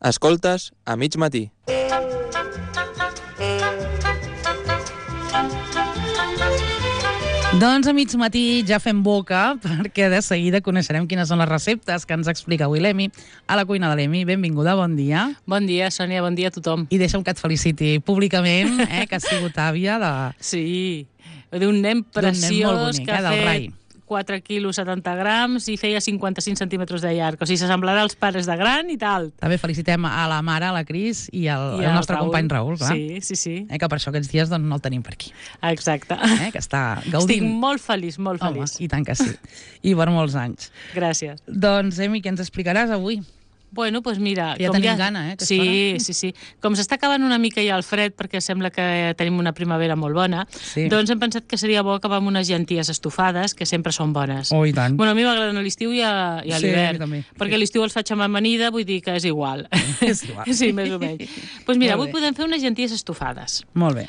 Escoltes a mig matí. Doncs a mig matí ja fem boca, perquè de seguida coneixerem quines són les receptes que ens explica avui l'Emi a la cuina de l'Emi. Benvinguda, bon dia. Bon dia, Sònia, bon dia a tothom. I deixa'm que et feliciti públicament, que has sigut àvia de... Sí, d'un nen preciós molt bonic, que ha del fet Rai. 4 quilos 70 grams i feia 55 centímetres de llarg. O sigui, s'assemblarà als pares de gran i tal. També felicitem a la mare, a la Cris, i el nostre Raül. company Raül, clar. Sí. Que per això aquests dies doncs, no el tenim per aquí. Exacte. Que està gaudint. Estic molt feliç, molt feliç. Home, i tant que sí. I per molts anys. Gràcies. Doncs, Emi, què ens explicaràs avui? Bueno, doncs mira... Ja tenim gana, Sí. Com s'està acabant una mica ja el fred, perquè sembla que tenim una primavera molt bona, doncs hem pensat que seria bo acabar amb unes llenties estofades, que sempre són bones. Oh, i tant. Bueno, a mi m'agraden a l'estiu i a l'hivern, perquè a l'estiu els faig amb amanida, vull dir que és igual. És igual. Sí, més o menys. Doncs mira, avui podem fer unes llenties estofades. Molt bé.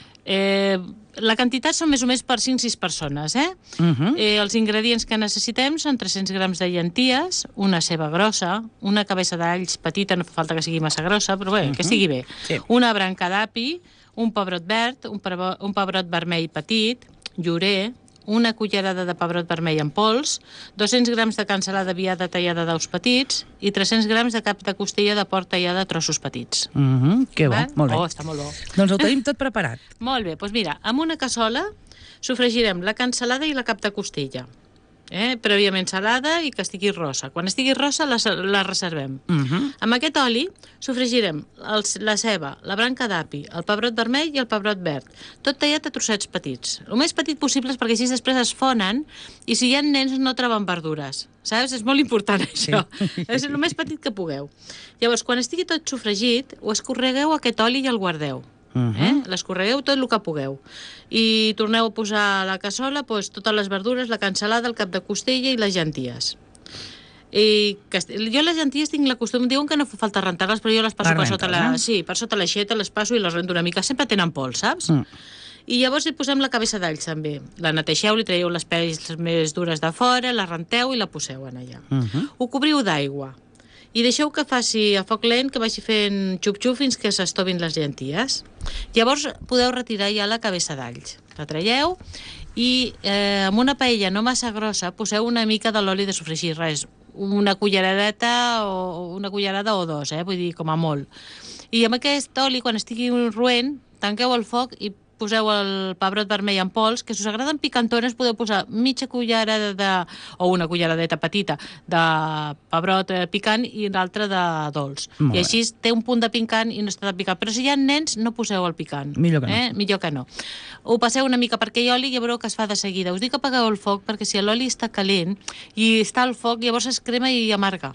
La quantitat són més o més per 5-6 persones, Els ingredients que necessitem són 300 grams de llenties, una ceba grossa, una cabeça d'alls petita, no fa falta que sigui massa grossa, però bé, que sigui bé, una branca d'api, un pebrot verd, un pebrot vermell petit, llorer, una cullerada de pebrot vermell en pols, 200 grams de cansalada viada tallada daus petits i 300 grams de cap de costella de porc tallada a trossos petits. Que bo, molt bé. Oh, està molt bo. Doncs ho tenim tot preparat. Molt bé, doncs mira, amb una cassola sofregirem la cansalada i la cap de costella. Prèviament salada i que estigui rossa. Quan estigui rossa la reservem. Amb aquest oli sofregirem la ceba, la branca d'api, el pebrot vermell i el pebrot verd, tot tallat a trossets petits. El més petit possible perquè així després es fonen i si hi ha nens no troben verdures. Saps? És molt important això. És el més petit que pugueu. Llavors, quan estigui tot sofregit, ho escorregueu a aquest oli i el guardeu. L'escorregueu tot el que pugueu i torneu a posar a la cassola totes les verdures, la cansalada, el cap de costella i les llenties. Jo les llenties tinc la costum, diuen que no fa falta rentar-les, però jo les passo per sota l'aixeta, les passo i les rento una mica, sempre tenen pols, saps? I llavors hi posem la cabeça d'alls també, la neteixeu, li traieu les pells més dures de fora, la renteu i la poseu en allà. Ho cobriu d'aigua i deixeu que faci a foc lent, que vagi fent xup-xup fins que s'estovin les llenties. Llavors podeu retirar ja la cabeça d'alls. La traieu i amb una paella no massa grossa poseu una mica de l'oli de sofregir, res, una culleradeta o una cullerada o dos, vull dir, com a molt. I amb aquest oli, quan estigui roent, tanqueu el foc i poseu el pebrot vermell en pols, que si us agraden picantones podeu posar mitja cullerada o una culleradeta petita de pebrot picant i l'altra de dolç. I així té un punt de picant i no està tan picant. Però si hi ha nens, no poseu el picant. Millor que no. Millor que no. Ho passeu una mica per aquell oli i ja veureu que es fa de seguida. Us dic que apagueu el foc perquè si l'oli està calent i està al foc, llavors es crema i amarga.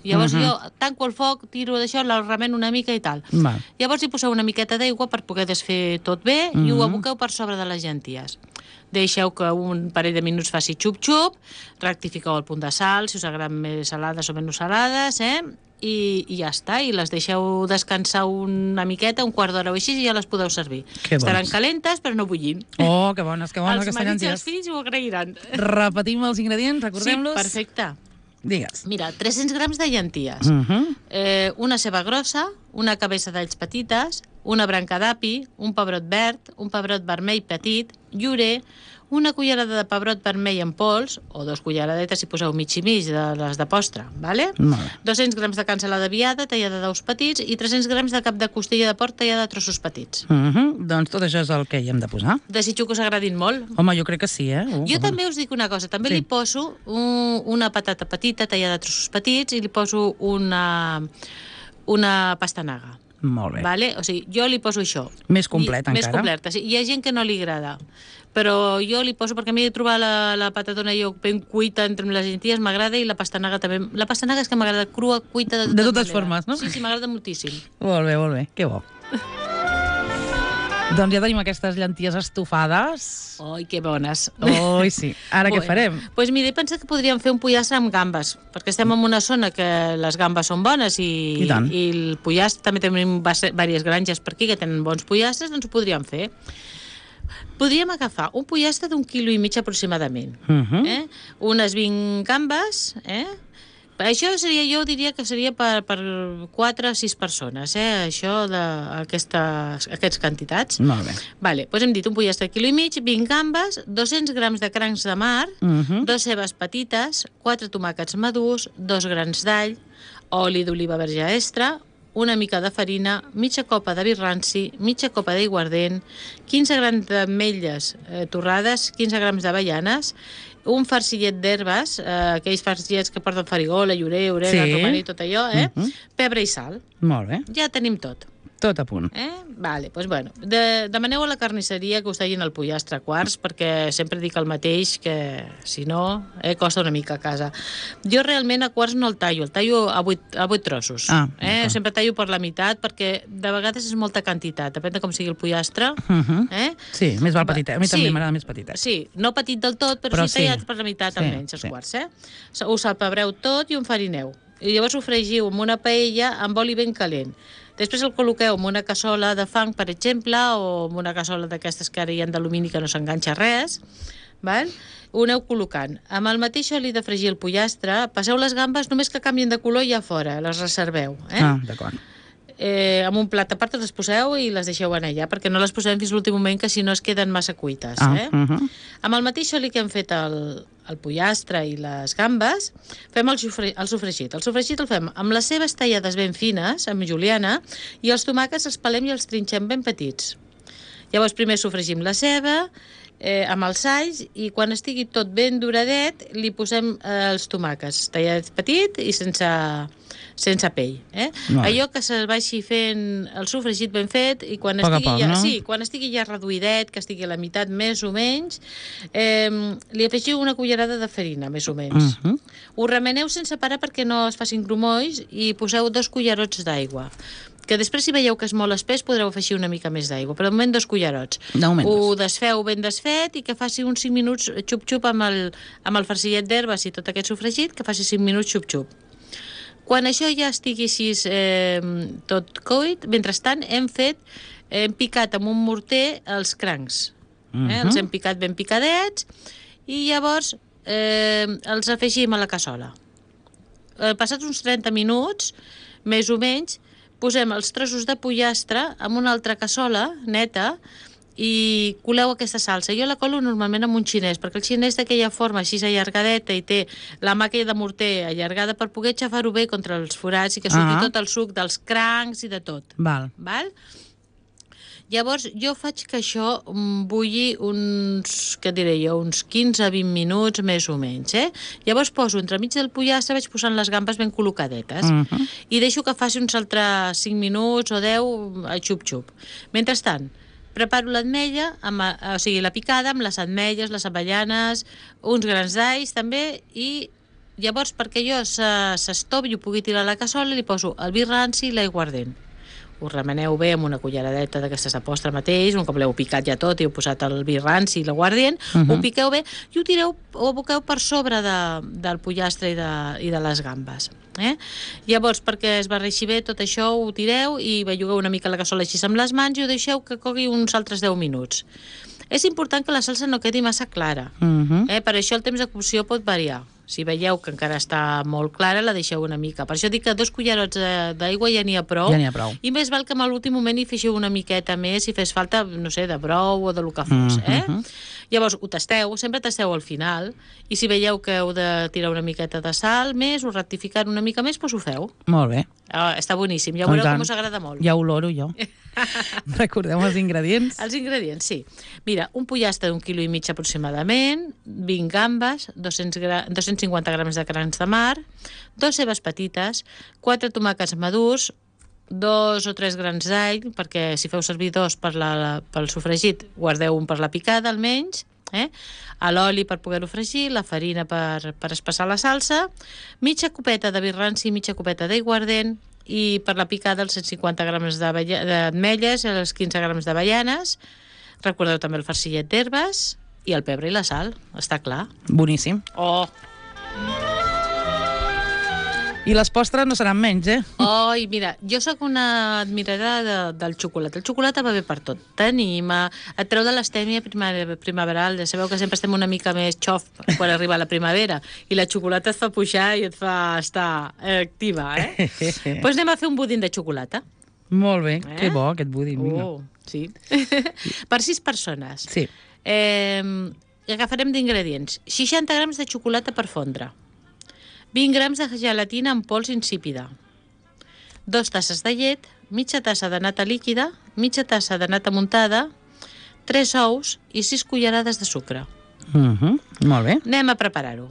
Llavors jo tanco el foc, tiro d'això, la remeno una mica i tal. Llavors hi poseu una miqueta d'aigua per poder desfer tot bé i ho aboqueu per sobre de les llenties. Deixeu que un parell de minuts faci xup-xup, rectifiqueu el punt de sal, si us agraden més salades o menys salades, i ja està, i les deixeu descansar una miqueta, un quart d'hora o així, i ja les podeu servir. Estaran calentes, però no bullint. Oh, que bones, Els marits i els fills ho agrairan. Repetim els ingredients, recordem-los? Sí, perfecte. Digues. Mira, 300 grams de llenties, una ceba grossa, una cabeça d'alls petites, una branca d'api, un pebrot verd, un pebrot vermell petit, llorer, una cullerada de pebrot vermell en pols, o 2 culleradetes si poseu mig i mig de les de postre, ¿vale? 200 grams de cansalada viada tallada daus petits i 300 grams de cap de costella de porc tallada a trossos petits. Doncs tot això és el que hi hem de posar. Desitjo que us agradin molt. Home, jo crec que sí, Jo també us dic una cosa, també li poso una patata petita tallada a trossos petits i li poso una pastanaga. Molt bé. Vale? O sigui, jo li poso això. Més complet, encara. Més completa, sí. Hi ha gent que no li agrada, però jo li poso, perquè a mi trobar la patatona jo ben cuita entre les llenties m'agrada i la pastanaga també. La pastanaga és que m'agrada crua, cuita de totes formes, no? Sí, m'agrada moltíssim. Molt bé, que bo. Doncs ja tenim aquestes llenties estofades. Oi, que bones. Oi, sí. Ara què farem? Doncs mira, he pensat que podríem fer un pollastre amb gambes, perquè estem en una zona que les gambes són bones i el pollastre, també tenim diverses granges per aquí que tenen bons pollastres, doncs ho podríem fer. Podríem agafar un pollastre d'1,5 quilo aproximadament, unes 20 gambes, Això seria, jo diria que seria per 4 a 6 persones, això d'aquestes quantitats. Molt bé. Vale, doncs hem dit un pollastre de quilo i mig, 20 gambes, 200 grams de crancs de mar, 2 cebes petites, 4 tomàquets madurs, 2 grans d'all, oli d'oliva verge extra, una mica de farina, mitja copa de vi ranci, mitja copa d'aiguardent, 15 grams d'ametlles torrades, 15 grams d'avellanes, un farcillet d'herbes, aquells farcillets que porten farigola, llorer, orega, romaní, tot allò, pebre i sal. Molt bé. Ja tenim tot. Tot a punt. Vale, doncs bueno, demaneu a la carnisseria que us tallin el pollastre a quarts, perquè sempre dic el mateix, que si no, costa una mica a casa. Jo realment a quarts no el tallo a 8 trossos. Sempre tallo per la meitat, perquè de vegades és molta quantitat, depèn de com sigui el pollastre. Sí, més val petitet. A mi també m'agrada més petitet. Sí, no petit del tot, però sí tallat per la meitat almenys, els quarts. Ho salpebreu tot i ho enfarineu. I llavors ho fregiu amb una paella amb oli ben calent. Després el col·loqueu en una cassola de fang, per exemple, o en una cassola d'aquestes que ara hi ha d'alumini que no s'enganxa res, val? Ho aneu col·locant. Amb el mateix oli de fregir el pollastre, passeu les gambes, només que canvien de color ja fora, les reserveu. D'acord. Amb un plat a part les poseu i les deixeu anar allà, perquè no les posem fins l'últim moment, que si no es queden massa cuites. Amb el mateix oli que hem fet el pollastre i les gambes, fem el sofregit. El sofregit el fem amb les cebes tallades ben fines, amb juliana, i els tomàquets els pelem i els trinxem ben petits. Llavors primer sofregim la ceba amb els alls, i quan estigui tot ben doradet li posem els tomàquets tallats petit i sense pell. Allò que se vagi fent el sofregit ben fet, i quan estigui ja reduïdet, que estigui a la meitat més o menys, li afegiu una cullerada de farina, més o menys. Ho remeneu sense parar perquè no es facin grumolls, i poseu 2 cullerots d'aigua, que després, si veieu que és molt espès, podreu afegir una mica més d'aigua, però de moment 2 cullerots. Ho desfeu ben desfet i que faci uns 5 minuts xup-xup amb el farcillet d'herbes i tot aquest sofregit, que faci 5 minuts xup-xup. Quan això ja estigui així tot cuit, mentrestant hem picat amb un morter els crancs. Els hem picat ben picadets i llavors els afegim a la cassola. Passats uns 30 minuts, més o menys, posem els trossos de pollastre en una altra cassola neta i coleu aquesta salsa. Jo la colo normalment amb un xinès, perquè el xinès d'aquella forma així allargadeta i té la mà aquella de morter allargada per poder xafar-ho bé contra els forats i que surti tot el suc dels crancs i de tot. Val. Llavors jo faig que això bulli uns 15 a 20 minuts més o menys. Llavors poso entremig del pollastre, vaig posant les gambes ben col·locadetes i deixo que faci uns altres 5 minuts o 10 a xup-xup. Mentrestant, preparo l'ametlla, o sigui, la picada amb les ametlles, les avellanes, uns grans d'alls també, i llavors perquè jo s'estovi i ho pugui tirar a la cassola, li poso el vi ranci i l'aiguardent. Ho remeneu bé amb una culleradeta d'aquestes de postre mateix, un cop l'heu picat ja tot i heu posat el vi ranci i l'aiguardent, ho piqueu bé i ho aboqueu per sobre del pollastre i de les gambes. Llavors, perquè es barreixi bé tot això, ho tireu i bellugueu una mica la cassola així amb les mans i ho deixeu que cogui uns altres 10 minuts. És important que la salsa no quedi massa clara. Per això el temps de cocció pot variar. Si veieu que encara està molt clara, la deixeu una mica. Per això dic que 2 cullerots d'aigua ja n'hi ha prou. I més val que en l'últim moment hi feixeu una miqueta més si fes falta, no sé, de brou o de lo que fos. Llavors ho tasteu, sempre tasteu al final, i si veieu que heu de tirar una miqueta de sal més o rectificar una mica més, doncs ho feu. Molt bé. Està boníssim, ja veureu com us agrada molt. Ja oloro jo. Recordem els ingredients. Els ingredients, sí. Mira, un pollastre d'1,5 kg aproximadament, 20 gambes, 250 grams de crancs de mar, 2 cebes petites, 4 tomàquets madurs, 2 o 3 grans d'all, perquè si feu servir 2 pel sofregit, guardeu un per la picada almenys, l'oli per poder-ho fregir, la farina per espessar la salsa, mitja copeta de vi ranci, mitja copeta d'aiguardent, i per la picada els 150 grams d'ametlles i els 15 grams d'avellanes. Recordeu també el farcillet d'herbes i el pebre i la sal, està clar. Boníssim. I les postres no seran menys, Oi, mira, jo sóc una admiradora del xocolata. El xocolata va bé per tot. T'anima, et treu de l'estèmia primaveral. Ja sabeu que sempre estem una mica més xof quan arriba la primavera i la xocolata et fa pujar i et fa estar activa, Doncs anem a fer un budín de xocolata. Molt bé, que bo aquest budín. Sí. Per 6 persones. Sí. Agafarem d'ingredients. 60 grams de xocolata per fondre. 20 grams de gelatina en pols insípida, 2 tasses de llet, mitja tassa de nata líquida, mitja tassa de nata muntada, 3 ous i 6 cullerades de sucre. Molt bé. Anem a preparar-ho.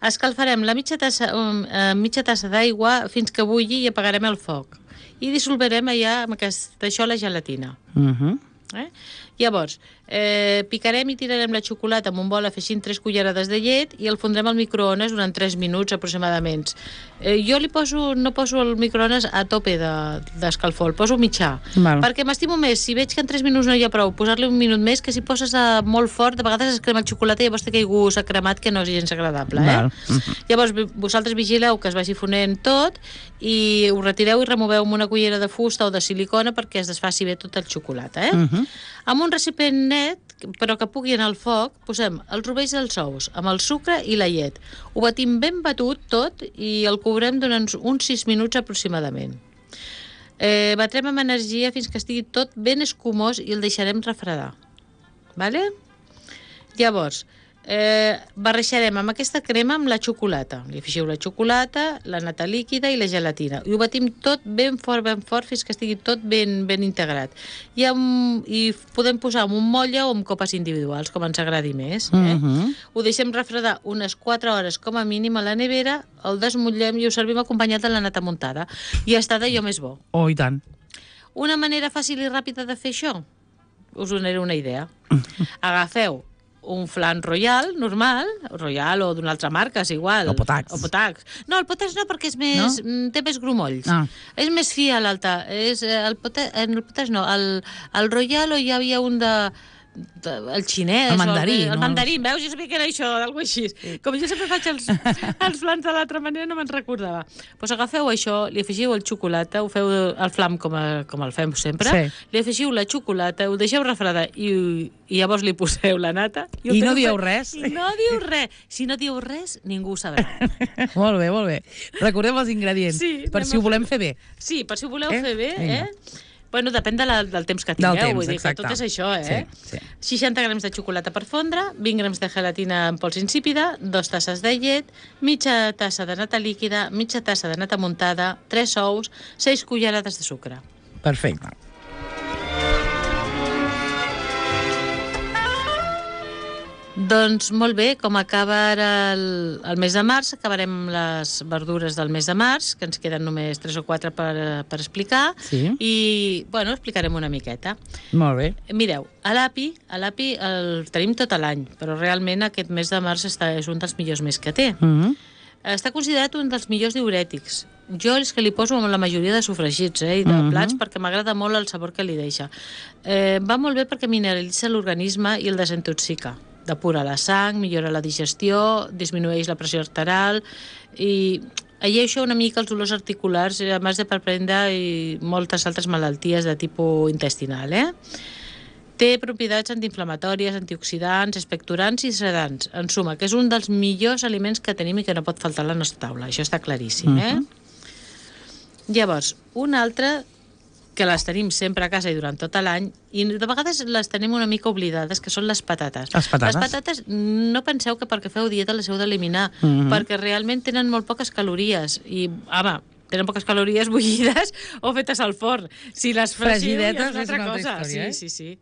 Escalfarem la mitja tassa d'aigua fins que bulli i apagarem el foc. I dissolverem allà amb això la gelatina. Llavors, picarem i tirarem la xocolata amb un bol afegint 3 cullerades de llet i el fondrem al microones durant 3 minuts aproximadament. Jo no poso el microones a tope d'escalfor, el poso mitjà, perquè m'estimo més, si veig que en 3 minuts no hi ha prou, posar-li un minut més, que si poses molt fort, de vegades es crema el xocolata i llavors té aquell gust cremat que no és gens agradable. Llavors, vosaltres vigileu que es vagi fonent tot i ho retireu i removeu amb una cullera de fusta o de silicona perquè es desfaci bé tot el xocolata. Amb un recipient net, però que pugui anar al foc, posem els rovells dels ous amb el sucre i la llet. Ho batim ben batut tot i el cobrem durant uns 6 minuts aproximadament. Batrem amb energia fins que estigui tot ben escumós i el deixarem refredar. Llavors, barrejarem amb aquesta crema amb la xocolata. Li afegiu la xocolata, la nata líquida i la gelatina. I ho batim tot ben fort fins que estigui tot ben integrat. I podem posar en un motlle o en copes individuals, com ens agradi més. Ho deixem refredar unes 4 hores com a mínim a la nevera, el desmotllem i ho servim acompanyat de la nata muntada. I està d'allò més bo. Oh, i tant. Una manera fàcil i ràpida de fer això? Us donaré una idea. Agafeu un flan Royal, normal, Royal o d'una altra marca, és igual. O Potax. No, el Potax no, perquè és més, té més grumolls. És més fi a l'alta. El Potax no, el Royal o hi havia un el xinès. El mandarí. El mandarí, veus? Jo sabia que era això, alguna cosa així. Com jo sempre faig els flans de l'altra manera, no me'n recordava. Doncs agafeu això, li afegiu el xocolata, ho feu el flam com el fem sempre, li afegiu la xocolata, ho deixeu refredar i llavors li poseu la nata. I no dieu res? I no diu res. Si no diu res, ningú ho sabrà. Molt bé, molt bé. Recordem els ingredients, per si ho volem fer bé. Sí, per si ho voleu fer bé, Bueno, depèn del temps que tingueu, vull dir que tot és això, 60 grams de xocolata per fondre, 20 grams de gelatina en pols insípida, 2 tasses de llet, mitja tassa de nata líquida, mitja tassa de nata muntada, 3 ous, 6 cullerades de sucre. Perfecte. Doncs molt bé, com acaba ara el mes de març, acabarem les verdures del mes de març, que ens queden només 3 o 4 per explicar, i, bueno, explicarem una miqueta. Molt bé. Mireu, l'api el tenim tot l'any, però realment aquest mes de març és un dels millors mesos que té. Està considerat un dels millors diürètics. Jo és que li poso amb la majoria de sofregits i de plats perquè m'agrada molt el sabor que li deixa. Va molt bé perquè mineralitza l'organisme i el desintoxica. Depura la sang, millora la digestió, disminueix la pressió arterial i alleixa una mica els dolors articulars, a més de per prendre moltes altres malalties de tipus intestinal. Té propietats antiinflamatòries, antioxidants, expectorants i sedants. En suma, que és un dels millors aliments que tenim i que no pot faltar a la nostra taula. Això està claríssim. Llavors, un altre que les tenim sempre a casa i durant tot l'any, i de vegades les tenim una mica oblidades, que són les patates. Les patates? Les patates, no penseu que perquè feu dieta les heu d'eliminar, perquè realment tenen molt poques calories, i, home, tenen poques calories bullides o fetes al forn. Si les fregiu, ja és una altra cosa. Sí.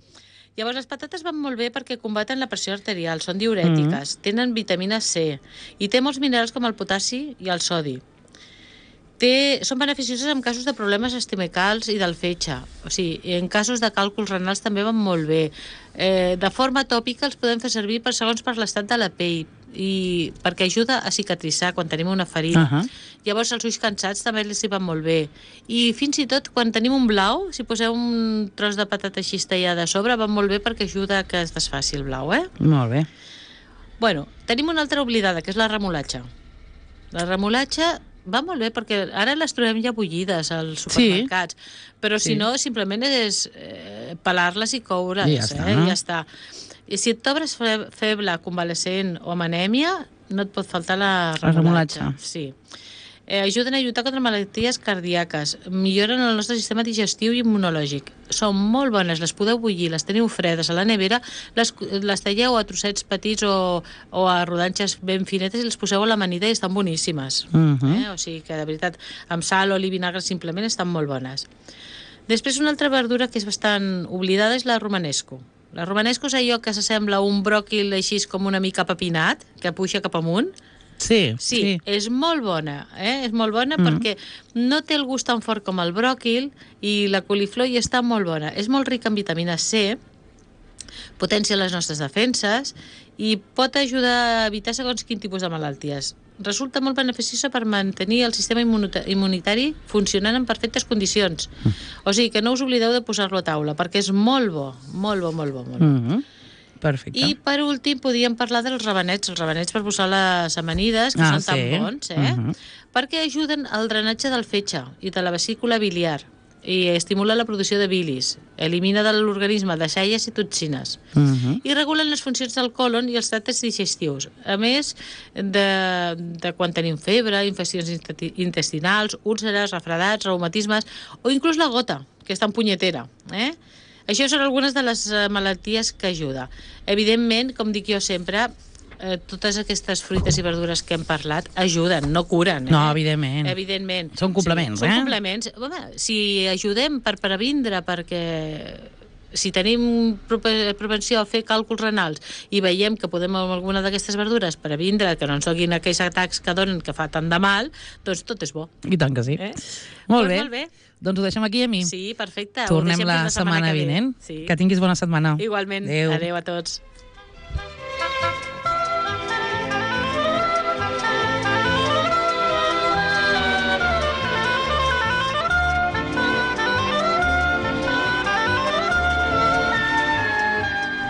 Llavors, les patates van molt bé perquè combaten la pressió arterial, són diürètiques, tenen vitamina C, i té molts minerals com el potassi i el sodi. Són beneficioses en casos de problemes estomacals i del fetge. O sigui, en casos de càlculs renals també van molt bé. De forma tòpica els podem fer servir segons per l'estat de la pell i perquè ajuda a cicatritzar quan tenim una ferida. Llavors els ulls cansats també els hi van molt bé. I fins i tot quan tenim un blau, si poseu un tros de patata així tallada a sobre, va molt bé perquè ajuda a que es desfaci el blau. Molt bé. Bueno, tenim una altra oblidada, que és la remolatxa. La remolatxa va molt bé, perquè ara les trobem ja bullides als supermercats, però si no, simplement és pelar-les i coure's, I ja està. ja està. I si et trobes feble, convalescent o amb anèmia, no et pot faltar la remolatxa. Sí. Ajuden a lluitar contra malalties cardíaques, milloren el nostre sistema digestiu i immunològic. Són molt bones, les podeu bullir, les teniu fredes a la nevera, les talleu a trossets petits o a rodanxes ben finetes i les poseu a l'amanida i estan boníssimes. O sigui que, de veritat, amb sal, oli i vinagre simplement estan molt bones. Després, una altra verdura que és bastant oblidada és la romanesco. La romanesco és allò que s'assembla a un bròquil així com una mica papinat, que puja cap amunt. Sí. És molt bona, és molt bona perquè no té el gust tan fort com el bròquil i la coliflor hi està molt bona. És molt rica en vitamina C, potència les nostres defenses i pot ajudar a evitar segons quin tipus de malalties. Resulta molt beneficiosa per mantenir el sistema immunitari funcionant en perfectes condicions. O sigui que no us oblideu de posar-lo a taula, perquè és molt bo, molt bo, molt bo. Molt bo. Perfecte. I per últim podríem parlar dels rabanets per posar les amanides, que són tan bons, perquè ajuden al drenatge del fetge i de la vesícula biliar i estimula la producció de bilis, elimina de l'organisme deixalles i toxines i regulen les funcions del còlon i els tractes digestius, a més de quan tenim febre, infeccions intestinals, úlceres, refredats, reumatismes o inclús la gota, que és tan punyetera, Això són algunes de les malalties que ajuda. Evidentment, com dic jo sempre, totes aquestes fruites i verdures que hem parlat ajuden, no curen. No, evidentment. Evidentment. Són complements, Són complements. Home, si ajudem per previndre, perquè si tenim propensió a fer càlculs renals i veiem que podem amb alguna d'aquestes verdures previndre que no ens donin aquells atacs que donen que fa tant de mal, doncs tot és bo. I tant que sí. Molt bé. Doncs ho deixem aquí, Emi. Sí, perfecte. Tornem la setmana vinent. Que tinguis bona setmana. Igualment. Adéu. Adéu a tots.